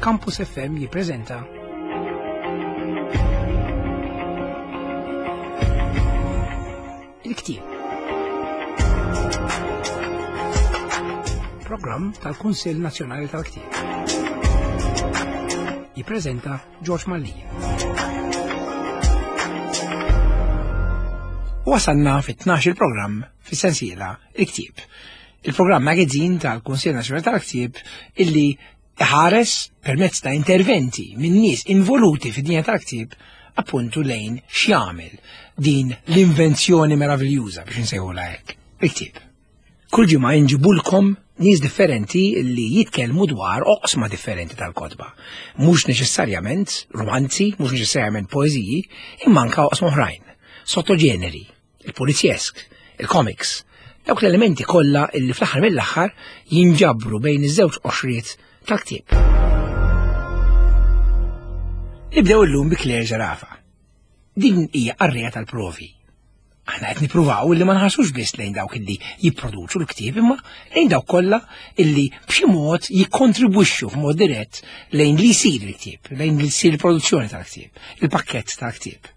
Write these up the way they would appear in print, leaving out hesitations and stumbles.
Campus FM jippreżenta Il-Ktieb. Programm tal-Kunsill Nazzjonali tal-Ktieb. Jippreżenta George Mallia. Wasalna fit-12 il-programm fis-sensiela Il-Ktieb. Il-programm magazine tal-Kunsill Nazzjonali tal-Ktieb illi iħares permezz ta' interventi minn nies involuti fid-dinja tal-ktieb appuntu lejn x'jagħmel din l-invenzjoni meraviljuża biex insejħulha hekk, il-ktieb. Kull ġimgħa inġibulkom nies differenti li jitkellmu dwar oqsma differenti tal-kotba. Mhux neċessarjament romanzi, mhux neċessarjament poeżiji, imma anke oqsma oħrajn, sottoġeneri, il-polizjesk, il-comics, dawk l-elementi kollha illi fl-aħħar mill-aħħar jinġabru bejn iż-żewġ qoxriet tal-ktieb. Nibdew illum bi Claire Zerafa. Din hija qarrija tal-provi. Aħna qed nippruvaw illi ma nħarsux biss lejn dawk illi jipproduċu l-ktieb imma lejn dawk kollha illi b'xi mod jikkontribwixxu f'mod dirett lejn li jsir il-ktieb, lejn li jsir il-produzzjoni tal-ktieb, il-pakkett tal-ktieb.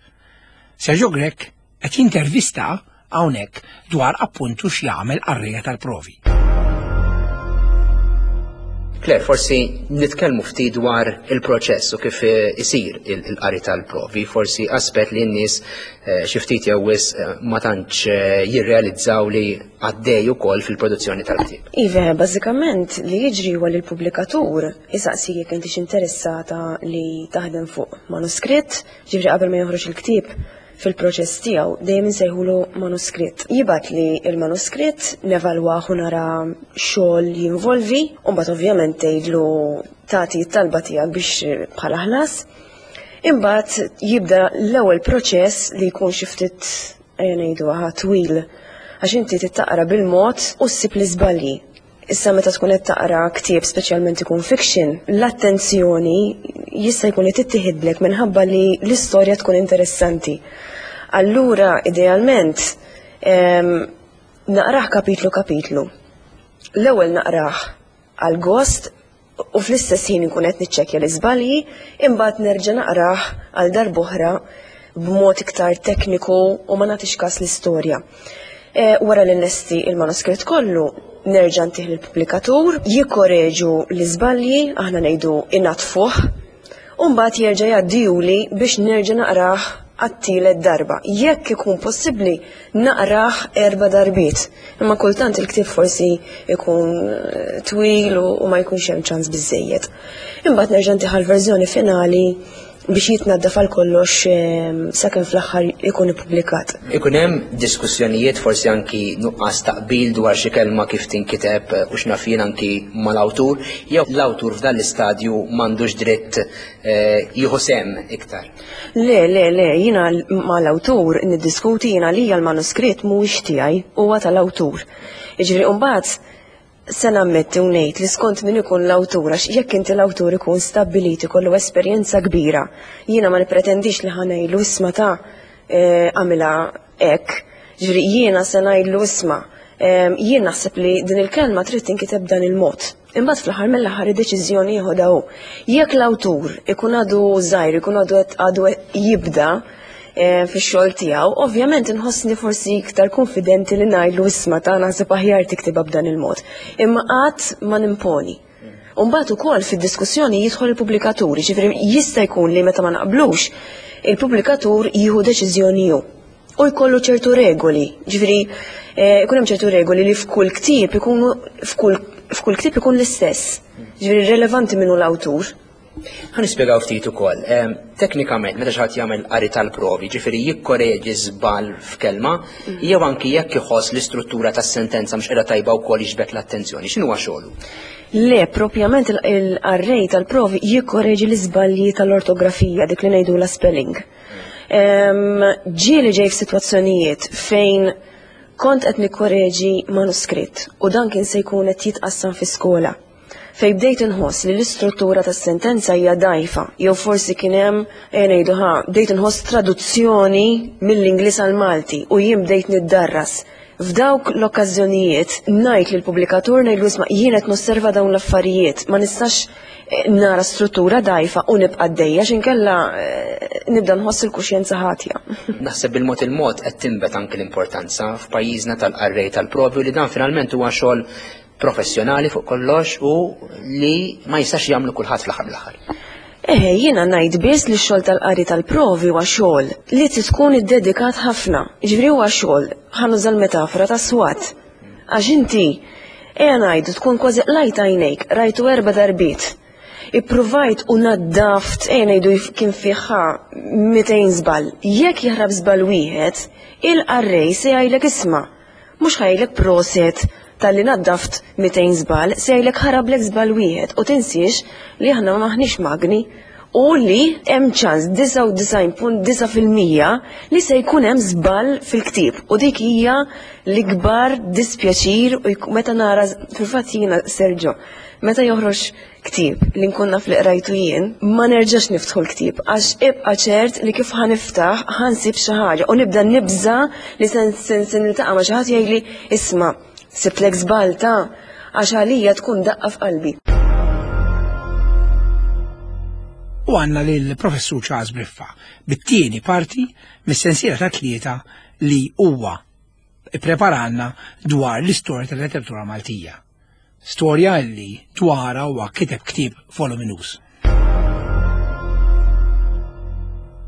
Sergio Grech qed jintervista hawnhekk dwar appuntu x'jagħmel qarrejja tal-provi. Claire, forsi nitkellmu ftit dwar il-proċess u kif eh, isir il-qari tal-provi, forsi aspett li n-nies eh, xi ftit jew wisq eh, ma tantx jirrealizzaw li għaddej ukoll fil-produzzjoni tal-ktieb. Iva, bażikament li jiġri huwa li l-pubblikatur isaqsi jekk intix interessata li taħdem fuq manuskritt, Ġifieri qabel ma joħroġ il-ktieb fil-proċess tiegħu dejjem insejħulu manuskritt. Jibgħatli l-manuskritt, nevalwah u nara xogħol jinvolvi, u mbagħad ovvjament tgħidlu tagħti t-talba tiegħek biex bħala ħlas. Imbagħad jibda l-ewwel proċess li jkun xi ftit ejja ngħidu twil għax inti trid taqra bil-mod u ssib l-iżbalji. Issa meta tkun qed taqra ktieb speċjalment ikun fiction, l-attenzjoni jista' jkun li tittieħidlek minħabba li l-istorja tkun interessanti. Allura idealment naqrah kapitlu kapitlu. L-ewwel naqrah għal gost u fl-istess ħin inkun qed niċċekkja l-iżbalji, imbagħad nerġa' naqrah għal darb'oħra b'mod iktar tekniku u ma nagħtix każ l-istorja. E, wara li nlesti il-manuskritt kollu, nerġa' ntih lill-pubblikatur, jikkoreġu l-iżbalji, aħna ngħidu inatfuh, u mbagħad jerġa' jgħaddihuli biex nerġa' naqrah għat-tielet darba. Jekk ikun possibbli naqrah erba' darbiet. Imma kultant il-ktieb forsi ikun eh, twil u ma jkunx hemm ċans biżejjed. Imbagħad nerġa' ntih l-verżjoni finali biex jitnaddaf għal kollox ehm, sakemm fl-aħħar ikun ippubblikat. Ikun hemm diskussjonijiet forsi anki nuqqas taqbil dwar xi kelma kif tinkiteb eh, u x'naf jien anki mal-awtur, jew l-awtur f'dan l-istadju m'għandux dritt eh, jieħu sehem iktar. Le, le, le, jiena mal-awtur niddiskuti jiena lija l-manuskritt mhuwiex tiegħi, huwa tal-awtur. Jiġifieri mbagħad se nammetti u ngħid li skont min ikun l-awtur għax jekk inti l-awtur ikun stabbilit ikollu esperjenza kbira, jiena ma nippretendix li ħa ngħidlu isma' ta' eh, għamilha hekk. Ġifieri jiena se ngħidlu isma' eh, jien naħseb li din il-kelma trid tinkiteb dan il-mod. Imbagħad fl-aħħar mill-aħħar id-deċiżjoni jeħodha hu. Jekk l-awtur ikun għadu żgħir, ikun għadu għadu jibda eh, fix-xogħol tiegħu, ovvjament inħossni forsi iktar konfidenti li ngħidlu isma' ta' naħseb aħjar tiktibha b'dan il-mod. Imma qatt ma nimponi. U mbagħad ukoll fid-diskussjoni jidħol il-pubblikatur, jiġifieri jista' jkun li meta ma naqblux, il-pubblikatur jieħu deċiżjoni hu. U jkollu ċertu regoli, ġifieri eh, ikun hemm ċertu regoli li f'kull ktieb ikunu f'kull f'kull ktieb ikun l-istess. Ġifieri relevanti minnu l-awtur. Ħa nispjegaw ftit ukoll. Ehm, teknikament, meta xi ħadd jagħmel qari tal-provi, ġifieri jikkoreġi żball f'kelma, mm. jew anki jekk iħoss l-istruttura tas-sentenza mhux qiegħda tajba wkoll jiġbed l-attenzjoni. X'inhuwa xogħlu? Le, propjament il-qarrej tal-provi jikkoreġi l-iżbalji tal-ortografija, dik li ngħidu la spelling. Ehm, ġieli ġej f'sitwazzjonijiet fejn kont qed nikkoreġi manuskritt u dan kien se jkun qed jitqassam fi skola fejn bdejt inħoss li l-istruttura tas-sentenza hija dgħajfa, jew forsi kien hemm ejja ngħidu ħa, bdejt inħoss traduzzjoni mill-Ingliż għall-Malti u jien bdejt niddarras. F'dawk l-okkażjonijiet ngħid lill-pubblikatur ngħidlu isma' jien qed nosserva dawn l-affarijiet, ma nistax eh, nara struttura dgħajfa u nibqa' għaddejja x'inkella eh, nibda nħoss il-kuxjenza ħatja. Naħseb bil-mod il-mod qed tinbet anki l-importanza f'pajjiżna tal-qarrej tal-provi li dan finalment huwa xogħol professjonali fuq kollox u li ma jistax jagħmlu kulħadd fl-aħħar mill-aħħar. Eħe, jiena ngħid biss li x-xogħol tal-qari tal-provi huwa xogħol li trid tkun iddedikat ħafna. Jiġifieri huwa xogħol, ħa nuża l-metafora ta' swat. Għax inti, ejja ngħidu tkun kważi qlajt għajnejk, rajtu erba' darbiet. Ippruvajt u naddaft, ejja ngħidu kien fih ħa 200 żball. Jekk jaħrab żball wieħed, il-qarrej se jgħidlek isma' Mhux ħa jgħidlek proset talli naddaft 200 żball, se jgħidlek ħarablek żball wieħed u tinsiex li aħna m'aħniex magni u li hemm ċans 99.9% li se jkun hemm żball fil-ktieb u dik hija l-ikbar dispjaċir u meta nara fil-fatt jiena Sergio meta joħroġ ktieb li nkun naf li qrajtu jien, ma nerġax niftħu l-ktieb għax ibqa' ċert li kif ħa niftaħ ħa nsib xi ħaġa u nibda nibża' li se niltaqa' ma' xi ħadd jgħidli isma' sibtlek żball ta' għax għalija tkun daqqa f'qalbi. U għandna lill-Professur Charles Briffa bit-tieni parti mis-sensiela ta' tlieta li huwa ippreparalna dwar l-istorja tal-letteratura Maltija. Storja li dwarha huwa kiteb ktieb voluminuż.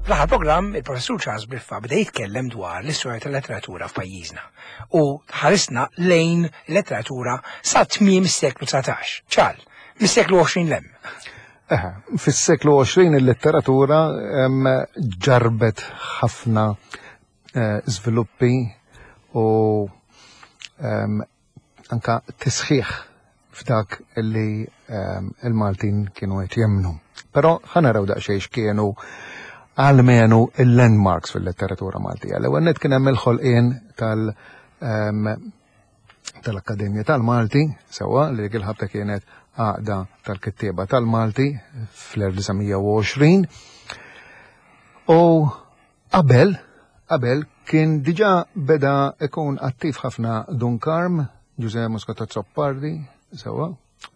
Fl-aħħar programm, il-Professur Charles Briffa beda jitkellem dwar l-istorja tal-letteratura f'pajjiżna u ħarisna lejn letteratura sa tmiem is-seklu 19. Ċal, mis-seklu 20 lem. Fis-seklu 20 il-letteratura ġarbet ħafna eh, żviluppi u anka tisħiħ f'dak li il-Maltin kienu qed jemmnu. Però ħa naraw daqsxejn x'kienu għalmenu il-landmarks fil-letteratura Maltija. L-ewwel nett kien hemm il-ħolqien tal- tal-Akkademja tal-Malti, sewwa li dik il-ħabta kienet għaqda tal-kittieba tal-Malti fl-1920. U Qabel, qabel kien diġà beda ikun attiv ħafna Dun Karm, Ġużè Muscat Azzopardi, sewwa,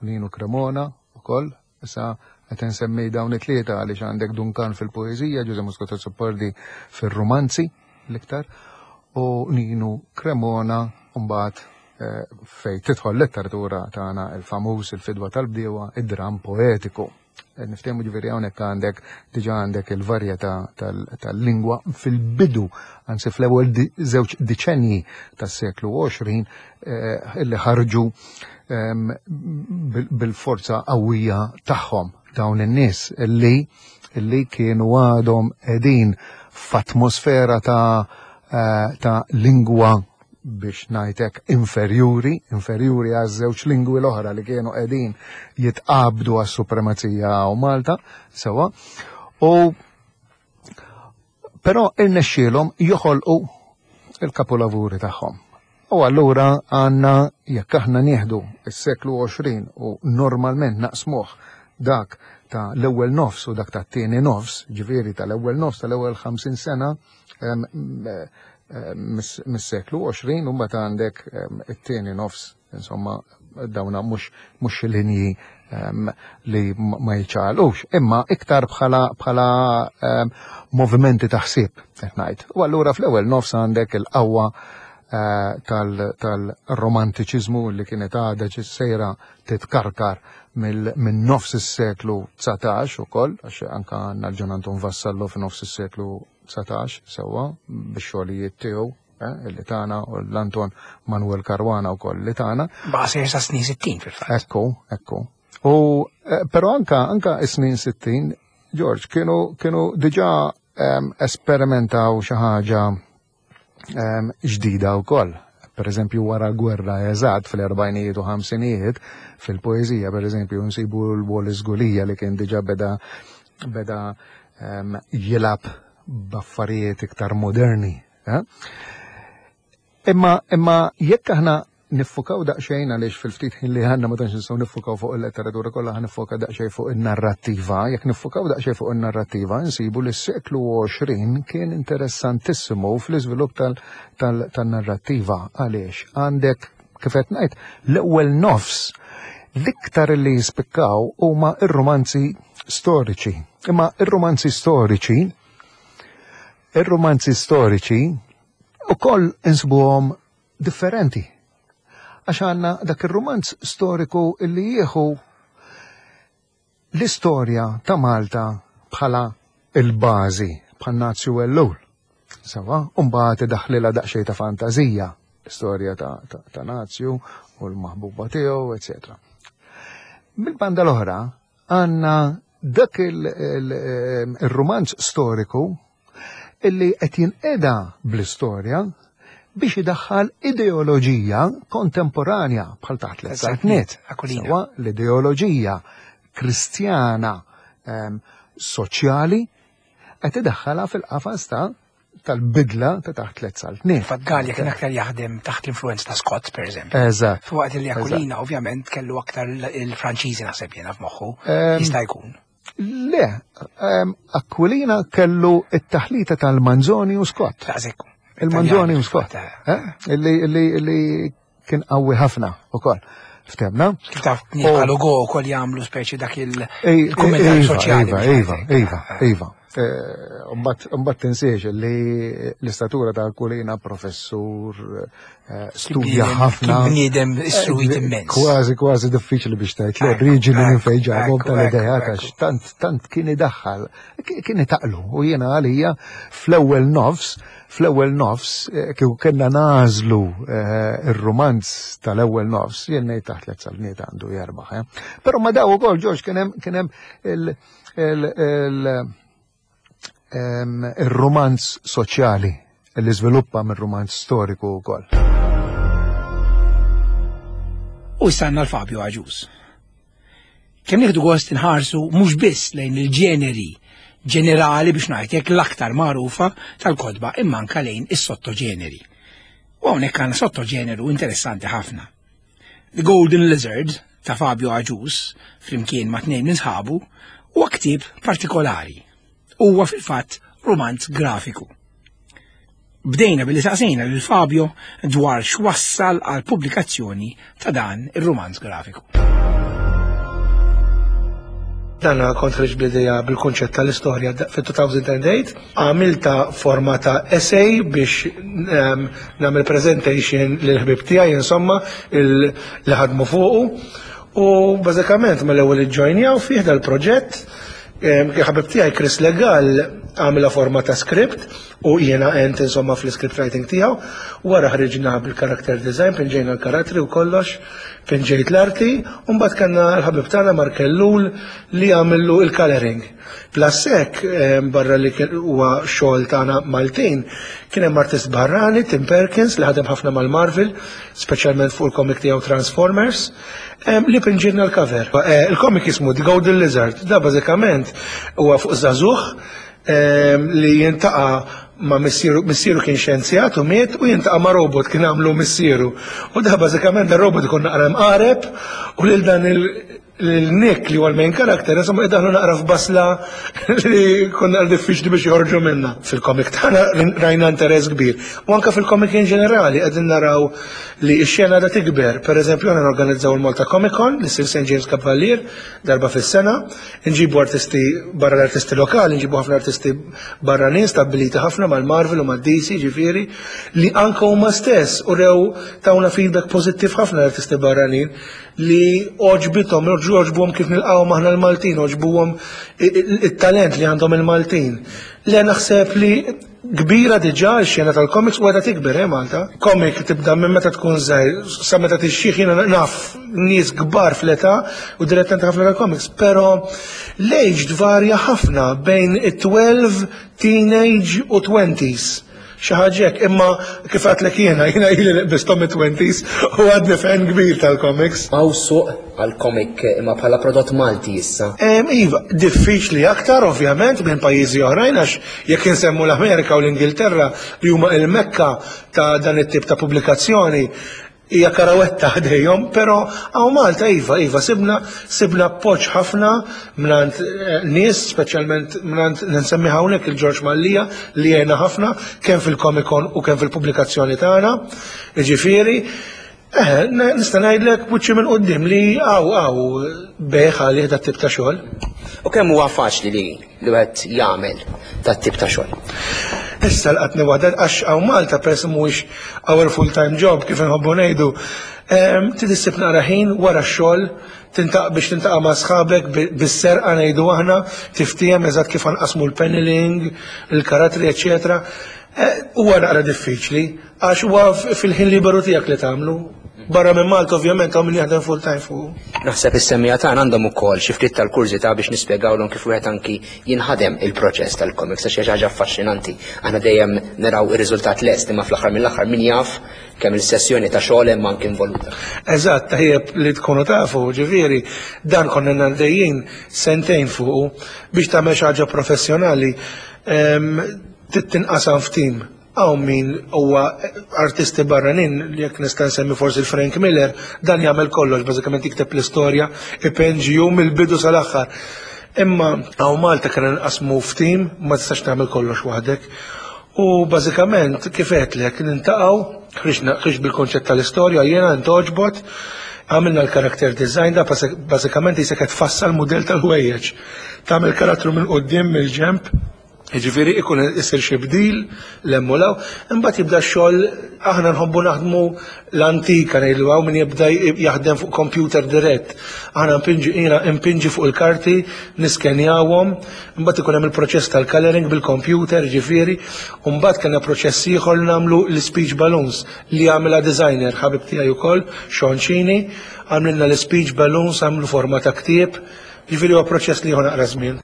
Ninu Cremona ukoll, issa qed insemmi dawn it-tlieta għaliex għandek Dun Karm fil-poeżija, Ġużè Muscat Azzopardi fir-rumanzi l-iktar, u Ninu Cremona mbagħad eh, fejn tidħol letteratura tagħna il-famuż il-fidwa tal-bdiewa, id-dram poetiku. Niftehmu ġifieri hawnhekk għandek diġà għandek il-varjetà tal-lingwa fil-bidu, anzi fl-ewwel żewġ diċenji tas-seklu 20 eh, illi ħarġu ehm, bil-forza qawwija tagħhom dawn in-nies illi illi kienu għadhom qegħdin f'atmosfera ta' eh, ta' lingwa biex ngħidlek inferjuri, inferjuri għaż-żewġ lingwi l-oħra li kienu qegħdin jitqabdu għas-supremazija u Malta, sewa. U però irnexxielhom joħolqu il-kapolavuri tagħhom. U allura għandna jekk aħna nieħdu s-seklu 20 u normalment naqsmuh dak ta' l-ewwel nofs u dak ta' tieni nofs, ġifieri tal-ewwel nofs tal-ewwel 50 sena, mis-seklu 20 u mbagħad għandek it-tieni nofs, insomma, dawna mhux linji li ma jiċċaqalqux, imma iktar bħala bħala movimenti ta' ħsieb qed ngħid. U allura fl-ewwel nofs għandek il-qawwa eh, tal-romantiċiżmu li kienet għadha sejra titkarkar minn nofs is-seklu 19 ukoll, għax anka għandna l-Ġon Anton Vassallo f'nofs is-seklu 19 sewwa bix-xogħlijiet tiegħu eh, illi tagħna u l-Anton Manuel Caruana wkoll li tagħna. Baqa' sejjer sa snin 60 fil-fatt. Ekku, ekku. U eh, però anka anka is-snin 60 George kienu kienu diġà ehm, esperimentaw xi ħaġa ehm, ġdida wkoll. Per eżempju, wara l-gwerra eżatt fl-erbajnijiet u ħamsinijiet, fil-poeżija, per eżempju, nsibu l-Wallace Gulija li kien diġà beda beda ehm, jilab b'affarijiet iktar moderni. Eh? Imma imma jekk aħna niffukaw daqsxejn għaliex fil-ftit ħin li għandna ma tantx nistgħu niffukaw fuq il-letteratura kollha ħa niffoka daqsxejn fuq in-narrattiva. Jekk niffukaw daqsxejn fuq in-narrattiva nsibu li s-seklu 20 kien interessantissimu fl-iżvilupp tal-narrattiva għaliex għandek kif qed ngħid l-ewwel nofs l-iktar li jispikkaw huma ir-romanzi storiċi. Imma ir-romanzi storiċi ir-romanzi storiċi ukoll insibuhom differenti. Għax għandna dak ir-rumanz storiku illi jieħu l-istorja ta' Malta bħala il-bażi bħal Nazju Ellul. Sawa, mbagħad idaħlilha daqsxejn ta' fantażija, l-istorja ta', ta, ta Nazju u l-maħbuba tiegħu, etc. Mill-banda l-oħra għandna dak il-rumanz storiku illi qed jinqeda bl-istorja biex idaħħal ideoloġija kontemporanja bħal taħt l-saltniet. Sewa l-ideoloġija kristjana ehm, soċjali qed idaħħalha fil-qafas ta' tal-bidla ta' taħt tliet saltniet. Fatt Gallia kien aktar jaħdem taħt l-influenza ta' Scott, per eżempju. Eżatt. Fuqat li Aquilina ovvjament kellu aktar il-Franċiżi naħseb jiena f'moħħu. Ehm, Jista' jkun. Le, ehm, Aquilina kellu it-taħlita tal-Manzoni u Scott. Il-Manzoni u Scott. Eh? Illi kien qawwi ħafna ukoll. Ftemna? Kif taf, bħal Ugo wkoll jagħmlu speċi dak il-kummentarju iva, soċjali. Iva, iva, iva, iva. Eh, mbagħad tinsiex li l-istatura ta' Aquilina professur eh, studja ħafna. Bniedem istruit eh, immens. Kważi kważi diffiċli biex tgħid l-oriġini minn fejn ġabhom tal-idea għax tant tant kien idaħħal, kien itaqlu u jiena għalija fl-ewwel nofs fl-ewwel nofs kieku kellna nażlu ir-rumanz tal-ewwel nofs jien ngħid taħt tliet salniet għandu jerbaħ. Però ma daw ukoll Ġorġ kien hemm kien hemm il-romanz soċjali li żviluppa mir-romanz storiku wkoll. U issa l-Fabio Aġus. Kemm nieħdu gost inħarsu mhux biss lejn il-ġeneri ġenerali biex ngħidlek l-aktar magħrufa tal-kotba imma anke lejn is-sottoġeneri. U hawnhekk għandna sottoġeneru interessanti ħafna. The Golden Lizard ta' Fabio Aġus, flimkien ma' tnejn minn sħabu, huwa ktieb partikolari. Huwa fil-fatt romanz grafiku. Bdejna billi saqsejna lil Fabio dwar x'wassal għal pubblikazzjoni ta' dan ir-romanz grafiku. Dan kont ħriġt bl-idea bil-kunċett tal-istorja fit-2008, għamilta forma ta' essay biex ehm, nagħmel presentation lil ħbib tiegħi insomma li ħadmu fuqu. U bażikament mill-ewwel iġġojnjaw fih dal-proġett ehm, ħabib tiegħi Chris Legal għamilha forma ta' script u jiena għent insomma fl-script writing tiegħu. Wara ħriġna bil-character design, pinġejna l-karattri u kollox, pinġejt l-arti, u mbagħad kellna l-ħabib tagħna Mark Ellul li għamillu il-coloring. Plus hekk, eh, barra li huwa xogħol tagħna Maltin, kien hemm artist barrani, Tim Perkins, li ħadem ħafna mal-Marvel, speċjalment fuq il-comic tiegħu Transformers, eh, li pinġilna l-cover. Eh, il-comic jismu The Golden Lizard, da bażikament huwa fuq żagħżugħ li jintaqa' ma' missieru, missieru kien xjenzjat u miet u jintaqa' ma' robot kien għamlu missieru. U da bażikament da robot ikun naqra mqareb u lil dan il-Nick li huwa l-main character insomma idaħlu naqra f'basla li kun naqra diffiċli biex joħorġu minna. Fil-komik tagħna rajna interess kbir. U anke fil-komik in ġenerali qegħdin naraw li x-xena da tikber. Per eżempju, aħna norganizzaw il-Malta Comic Con li ssir St. James Cavalier darba fis-sena. Nġibu artisti barra l-artisti lokali, nġibu ħafna artisti barranin stabbiliti ħafna mal-Marvel u mad-DC ġifieri, li anke huma stess u rew tawna feedback pożittiv ħafna l-artisti barranin li oġbithom, oġbuhom kif nilqgħu aħna l-Maltin, oġbuhom it-talent li għandhom il-Maltin. Le naħseb li Kbira diġà x-xena tal-comics u għadha tikber, eh Malta. Comic tibda minn meta tkun żgħir sa meta tixjieħ jiena naf nies kbar fl-età u dilettanti ħafna tal-comics, però l-age tvarja ħafna bejn it-12, teenage u 20s. Xi ħaġa hekk, imma kif għedtlek jiena, jiena ili li qbisthom it-20s u għadni fan kbir tal-comics. Hawn suq għall-comic imma bħala prodott Malti issa? Iva, diffiċli aktar ovvjament minn pajjiżi oħrajn għax Jekk insemmu l-Amerika u l-Ingilterra li huma il-mekka ta' dan it-tip ta' pubblikazzjoni, Hija karawetta ħdejhom, però hawn Malta iva, iva, sibna sibna appoġġ ħafna mingħand eh, nies, speċjalment mingħand nsemmi hawnhekk il-Ġorġ Mallija li għena ħafna kemm fil-Comic Con u kemm fil-pubblikazzjoni tagħna. Jiġifieri, eh, nista' ngħidlek buċċi minn quddiem li hawn hawn bejħ għalih dat tip ta' xogħol. U kemm huwa faċli li li wieħed jagħmel dat tip ta' xogħol? Issa laqatni waħda għax hawn Malta peress mhuwiex our full time job kif inħobbu ngħidu. Trid issib naqra ħin wara x-xogħol tintaq biex tintaqa' ma' sħabek bis-serqa ngħidu aħna tiftiehem eżatt kif nqasmu l-paneling, il-karattri, eċetera. Eh, huwa naqra diffiċli għax huwa fil-ħin liberu tiegħek li tagħmlu. Barra minn Malta ovvjament hawn min jaħdem full time fuq. Naħseb is-semmija tagħna għandhom ukoll xi ftit tal-kurżità biex nispjegawlhom kif wieħed anki jinħadem il-proċess tal-comics għax hija xi ħaġa affaxxinanti. Aħna dejjem naraw ir-riżultat lest imma fl-aħħar mill-aħħar min jaf kemm il-sessjoni ta' xogħol hemm anki involuta. Eżatt, tajjeb li tkunu tafu, ġifieri, dan konna għaddejjin sentejn fuqu biex tagħmel xi ħaġa professjonali trid tinqasam f'tim. Hawn min huwa artisti barranin, jekk nista' nsemmi forsi l-Frank Miller, dan jagħmel kollox, bażikament jikteb l-istorja, ipenġi hu mill-bidu sal-aħħar. Imma hawn Malta kien nqasmu f'tim, ma tistax tagħmel kollox waħdek. U bażikament kif għedtlek nintaqgħu, ħriġna bil-konċett tal-istorja jiena intoġbot, għamilna l-character design da bażikament jisek qed tfassal mudell tal-ħwejjeġ. Tagħmel karattru minn quddiem mill-ġenb, Jiġifieri ikun isir xi bdil l-hemm u l imbagħad jibda x-xogħol aħna nħobbu naħdmu l-antika ngħidu hawn min jibda jaħdem fuq computer dirett. Aħna npinġi jiena impinġi fuq il-karti, niskenjawhom, imbagħad ikun hemm il-proċess tal-coloring bil-computer, ġifieri, u mbagħad kellna proċess ieħor li nagħmlu l-speech balloons li għamilha designer ħabib tiegħi wkoll, Sean Cini, għamlilna l-speech balloons, għamlu forma ta' ktieb. Ġifieri huwa proċess li jieħu naqra żmien.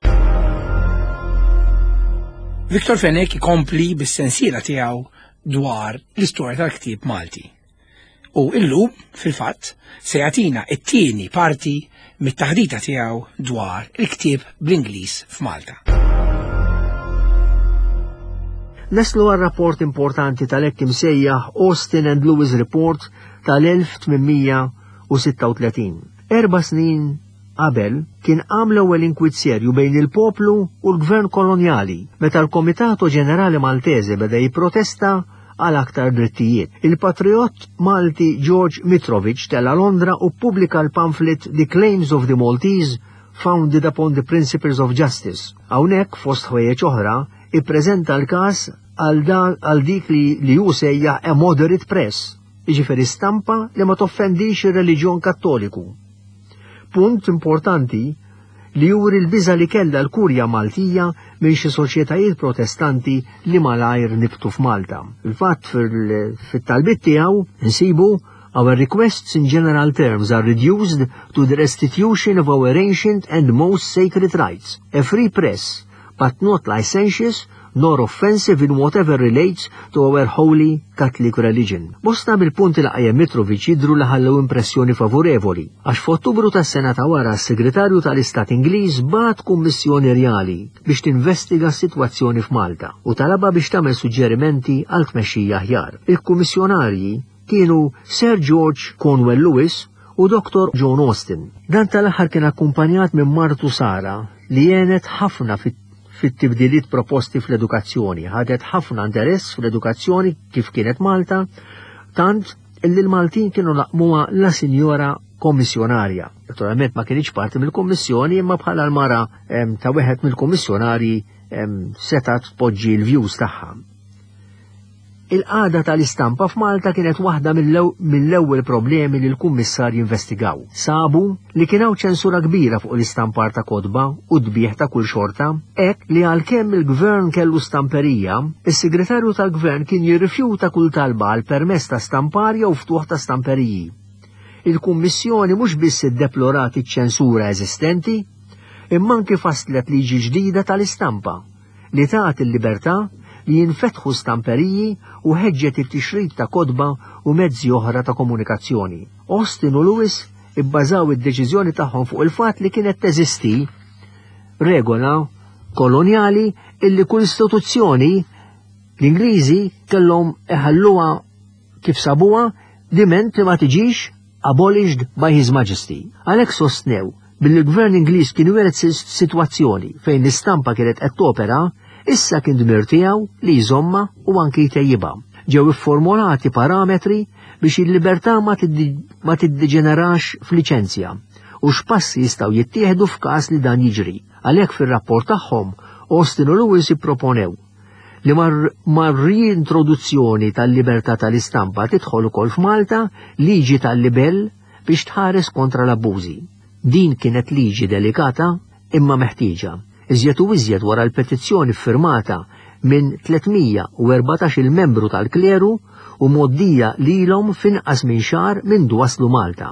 Victor Fenech ikompli bis-sensiela tiegħu dwar l-istorja tal-ktieb Malti. U illum, fil-fatt, se jagħtina t-tieni parti mit-taħdita tiegħu dwar il-ktieb bl-Ingliż f'Malta. Naslu għal rapport importanti tal-hekk imsejjaħ Austin and Lewis Report tal-1836. Erba' snin Qabel, kien qam l-ewwel inkwiet serju bejn il-poplu u l-gvern kolonjali meta l-Comitato Ġenerali Maltese beda jipprotesta għal aktar drittijiet. Il-patrijott Malti George Mitrovich tela' Londra u ppubblika l-pamphlet The Claims of the Maltese Founded Upon the Principles of Justice. Hawnhekk, fost ħwejjeġ oħra, ippreżenta l-każ għal dik li li hu sejjaħ a moderate press, jiġifieri stampa li ma toffendix ir-reliġjon Kattoliku. Punt importanti li juri l-biża' li kellha l-Kurja Maltija minn xi soċjetajiet Protestanti li malajr nibtu f'Malta. Fil-fatt fit-talbiet tiegħu nsibu Our requests in general terms are reduced to the restitution of our ancient and most sacred rights, a free press, but not licentious nor offensive in whatever relates to our holy Catholic religion. Bosta mill-punti li qajjem Mitrovic jidhru li ħallew impressjoni favorevoli, għax f'Ottubru tas-sena ta' wara s-Segretarju tal-Istat Ingliż bagħat kummissjoni rjali biex tinvestiga s-sitwazzjoni f'Malta u talabha biex tagħmel suġġerimenti għal tmexxija aħjar. Il-kummissjonarji kienu Sir George Cornwell Lewis u Dottor John Austin. Dan tal-aħħar kien akkumpanjat minn martu Sara li għenet ħafna fit-tibdiliet proposti fl-edukazzjoni. Ħadet ħafna interess fl-edukazzjoni kif kienet Malta, tant illi l-Maltin kienu laqmuha la Sinjora Kommissjonarja. Naturalment ma kienx parti mill-Kummissjoni imma bħala l-mara ta' wieħed mill-kummissjonarji setgħet tpoġġi l-views tagħha. Il-qagħda tal-istampa f'Malta kienet waħda mill-ewwel problemi li l-kummissarji investigaw. Sabu li kien hawn ċensura kbira fuq l-istampar ta' kotba u tbigħ ta' kull xorta, hekk li għalkemm il-Gvern kellu stamperija, is-Segretarju tal-Gvern kien jirrifjuta kull talba għal permess ta' stampar jew ftuħ ta' stamperiji. Il-Kummissjoni mhux biss iddeplorat iċ-ċensura eżistenti, imma anki fasslet liġi ġdida tal-istampa li tat il-libertà li jinfetħu stamperiji u ħeġġet it-tixrid ta' kotba u mezzi oħra ta' komunikazzjoni. Austin u Lewis ibbażaw id-deċiżjoni tagħhom fuq il-fatt li kienet teżisti regola kolonjali illi kull istituzzjoni l-Ingliżi kellhom iħalluha kif sabuha. diment li ma tiġix abolished by His Majesty. Għalhekk sostnew billi l-Gvern Ingliż kien wiret sitwazzjoni fejn l-istampa kienet qed topera, issa kien dmir tiegħu li jżommha u anki jtejjibha. Ġew ifformulati parametri biex il-libertà ma tiddeġenerax f'liċenzja u x'passi jistgħu jittieħdu f'każ li dan jiġri. Għalhekk fir-rapport tagħhom, Austin u Lewis ipproponew li mar-riintroduzzjoni tal-libertà tal-istampa tidħol ukoll f'Malta liġi tal-libell biex tħares kontra l-abbużi. Din kienet liġi delikata imma meħtieġa, iżjed u iżjed wara l-petizzjoni ffirmata minn 314-il membru tal-kleru u mgħoddija lilhom f'inqas minn xahar mindu waslu Malta.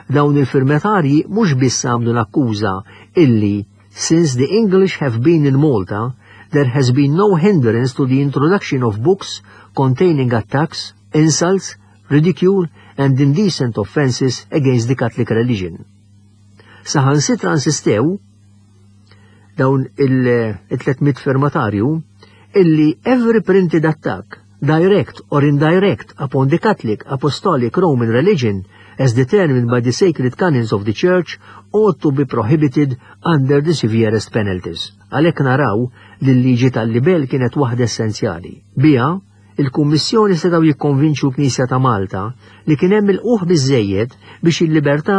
Dawn il-firmatarji mhux biss għamlu l-akkuża illi Since the English have been in Malta, there has been no hindrance to the introduction of books containing attacks, insults, ridicule and indecent offences against the Catholic religion. Saħansitra insistew dawn il-300 firmatarju illi every printed attack, direct or indirect, upon the Catholic Apostolic Roman religion as determined by the sacred canons of the Church ought to be prohibited under the severest penalties. Għalhekk naraw li l-liġi tal-libel kienet waħda essenzjali. Biha, il-Kummissjoni setgħu jikkonvinċu l-Knisja ta' Malta li kien hemm ilqugħ biżżejjed biex il-libertà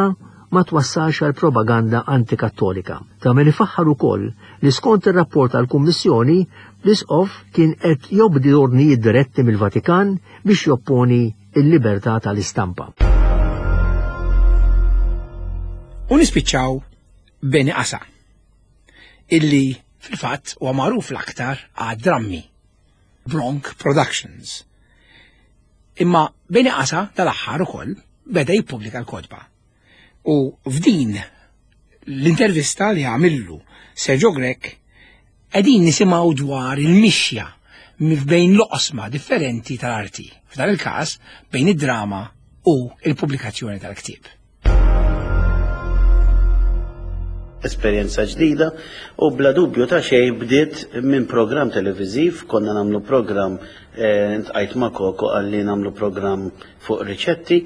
ma twassalx għal propaganda antikattolika. Ta' min ifaħħar ukoll li skont ir-rapport tal-Kummissjoni, l-Isqof kien qed jobdi ordnijiet diretti mill-Vatikan biex jopponi l-libertà tal-istampa. U nispiċċaw Beni Qasa, illi fil-fatt huwa magħruf l-aktar għad-drammi Bronk Productions. Imma Beni Qasa dal-aħħar ukoll beda jippubblika l-kotba. U f'din l-intervista li għamillu Sergio Grech qegħdin nisimgħu dwar il-mixja bejn l-oqsma differenti tal-arti, f'dan il-każ bejn id-drama u il-pubblikazzjoni tal-ktieb. Esperjenza ġdida u bla dubju ta' xejn bdiet minn programm televiżiv, konna nagħmlu programm eh, ntqajt ma' Koko qalli nagħmlu programm fuq riċetti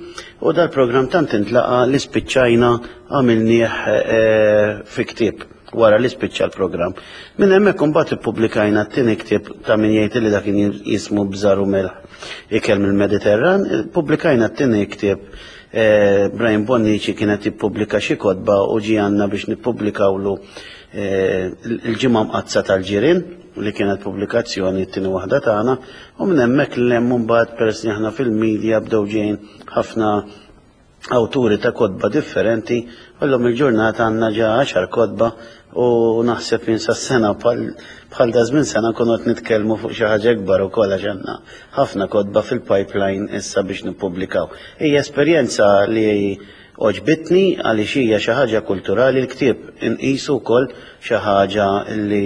u dal-programm tant intlaqa li spiċċajna għamilnieh eh, fi ktieb wara li spiċċa l-programm. Minn hemmhekk imbagħad ippubblikajna t-tieni ktieb ta' min jgħid li dak kien jismu Bżar u Melħ ikel mill-Mediterran, pubblikajna t-tieni ktieb eh, Brian Bonnici kienet jippubblika xi kotba u ġie għandna biex nippubblikawlu eh, l-ġimgħa mqaddsa tal-ġirien li kienet pubblikazzjoni t-tieni waħda tagħna u minn hemmhekk l hemm mbagħad peress li aħna fil-media bdew ġejjin ħafna awturi ta' kotba differenti u llum il-ġurnata għandna ġa għaxar kotba u naħseb jien sas-sena bħal da żmien sena nkunu qed nitkellmu fuq xi ħaġa ikbar ukoll għax għandna ħafna kotba fil-pipeline issa biex nippubblikaw. Hija esperjenza li għoġbitni għaliex hija xi ħaġa kulturali l-ktieb inqisu wkoll xi ħaġa li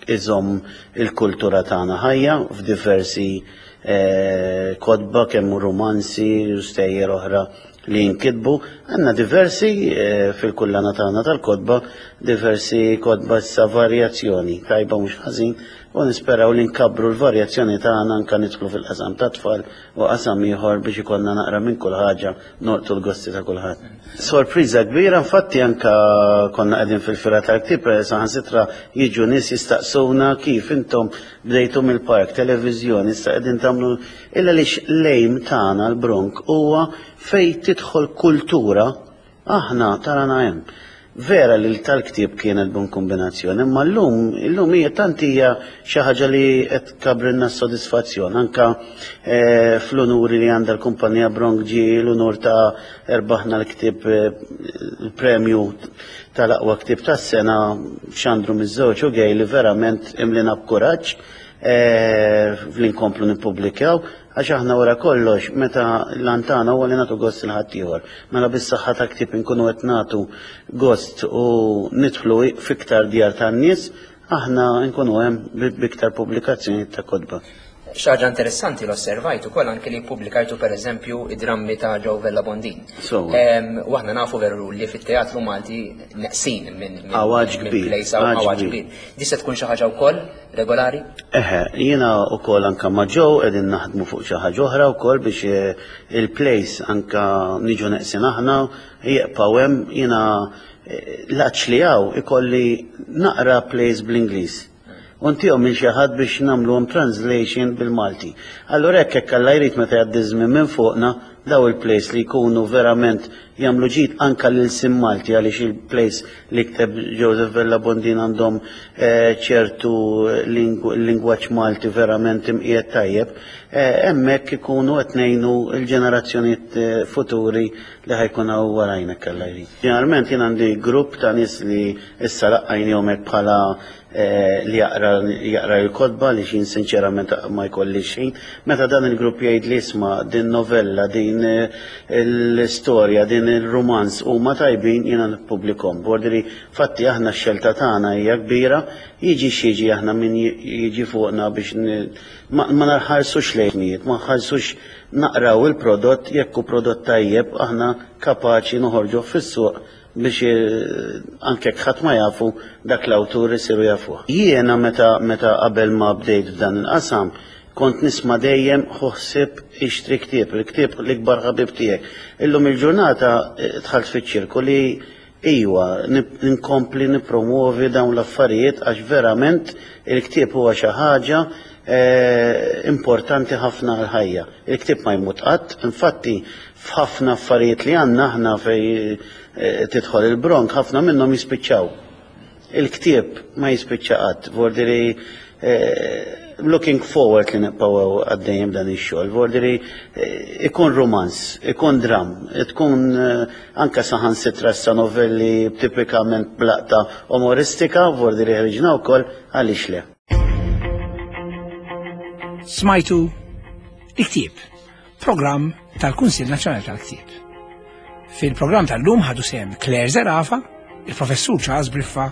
iżomm il-kultura tagħna ħajja f'diversi eh, kotba kemm rumanzi u stejjer oħra li jinkitbu. Għandna diversi eh, fil-kullana tagħna tal-kotba, diversi kotba issa varjazzjoni, tajba mhux ħażin, u nisperaw li nkabbru l-varjazzjoni tagħna anke nidħlu fil-qasam ta' tfal u qasam ieħor biex ikollna naqra minn kull ħaġa nolqtu l-gosti ta' kulħadd. Sorpriża kbira, infatti anka konna qegħdin fil-fira tal-ktieb, eh, saħansitra jiġu nies jistaqsuna kif intom bdejtu mill-park, televiżjoni, issa qegħdin tagħmlu illa lix lejm tagħna l-Bronk huwa fejn tidħol kultura Aħna tarana hemm. Vera li tal-ktieb kienet bon kombinazzjoni, imma llum, illum hija tant hija xi ħaġa li qed tkabrilna s-sodisfazzjon. Anka eh, fl-unuri li għandha l-kumpanija Bronk ġie l-unur ta' erbaħna l-ktieb eh, il-premju tal-aqwa ktieb tas-sena xandru miż-żewġ u gej li verament imlina b'kuraġġ eh, li nkomplu nippubblikaw. Għax aħna wara kollox, meta l-għan tagħna huwa li nagħtu gost lil ħaddieħor. Mela bis-saħħa ta' ktieb inkunu qed nagħtu gost u nidħlu f'iktar djar tan-nies, aħna nkunu hemm b'iktar pubblikazzjonijiet ta' kotba. Xi ħaġa interessanti li osservajt ukoll anke li ppubblikajtu pereżempju id-drammi ta' Joe Vella Bondin. U aħna nafu veru li fit-teatru Malti neqsin minn Għawaġ kbir. Għawaġ kbir. Di se tkun xi ħaġa wkoll regolari? Eħe, jiena wkoll anka ma' Joe qegħdin naħdmu fuq xi ħaġa oħra wkoll biex eh, il-place anka niġu neqsin aħna jibqgħu hemm jiena eh, l-għatx li hawn ikolli naqra plays bl-Ingliż. U ntihom lil xi ħadd biex nagħmluhom translation bil-Malti. Allura hekk hekk Alla jrid meta jgħaddi ż-żmien minn fuqna daw il-plays li jkunu verament jagħmlu ġid anka lil sin Malti għaliex il-plays li kteb Joseph Vella Bondin għandhom eh, ċertu lingwaġġ Malti verament imqiegħed tajjeb, eh, hemmhekk ikunu qed ngħinu l-ġenerazzjonijiet eh, futuri li ħa jkun hawn warajna Alla jrid. Ġeneralment jien għandi grupp ta' nies li issa laqqajnihom hekk bħala eh, li jaqra jaqra l-kotba li xin sinċerament ma jkollix ħin. Meta dan il-grupp jgħid li isma' din novella, din eh, l-istorja, din il-romanz huma tajbin jiena nippubblikhom. Borderi fatti aħna x-xelta tagħna hija kbira, jiġi x'jiġi aħna min jiġi fuqna biex ma nħarsux lejn ma nħarsux naqraw il-prodott jekk hu prodott tajjeb aħna kapaċi noħorġuh fis-suq biex eh, anke ħadd ma jafu dak l-awtur isiru jafuh. Jiena meta meta qabel ma bdejt f'dan il-qasam kont nisma' dejjem ħuħsib ixtri ktieb, il-ktieb l-ikbar ħabib tiegħek. Illum il-ġurnata eh, dħalt fiċ-ċirku li iwa nkompli nippromuovi dawn l-affarijiet għax verament il-ktieb huwa xi ħaġa eh, importanti ħafna għal-ħajja. Il-ktieb ma jmut qatt, infatti f'ħafna affarijiet li għandna aħna fej eh, tidħol il-bronk, ħafna minnhom jispiċċaw. Il-ktieb ma jispiċċa qatt, vordiri eh, looking forward li nibqgħu għaddejjem dan ix-xogħol, vordiri eh, ikun romanz, ikun dram, tkun anka saħansitra sa novelli tipikament blaqta umoristika, vordiri ħriġna wkoll għaliex le. Smajtu il-ktieb, programm tal-Kunsill Nazzjonali tal-Ktieb. Fil-programm tal-lum ħadu sehem Claire Zerafa, il-Professur Charles Briffa,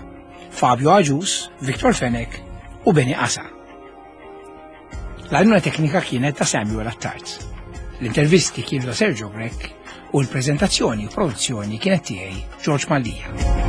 Fabio Agius, Victor Fenech u Beni Asa. L-għajnuna teknika kienet ta' Samuel Attard. L-intervisti kienu ta' Sergio Grech u l-prezentazzjoni u produzzjoni kienet tiegħi George Mallia.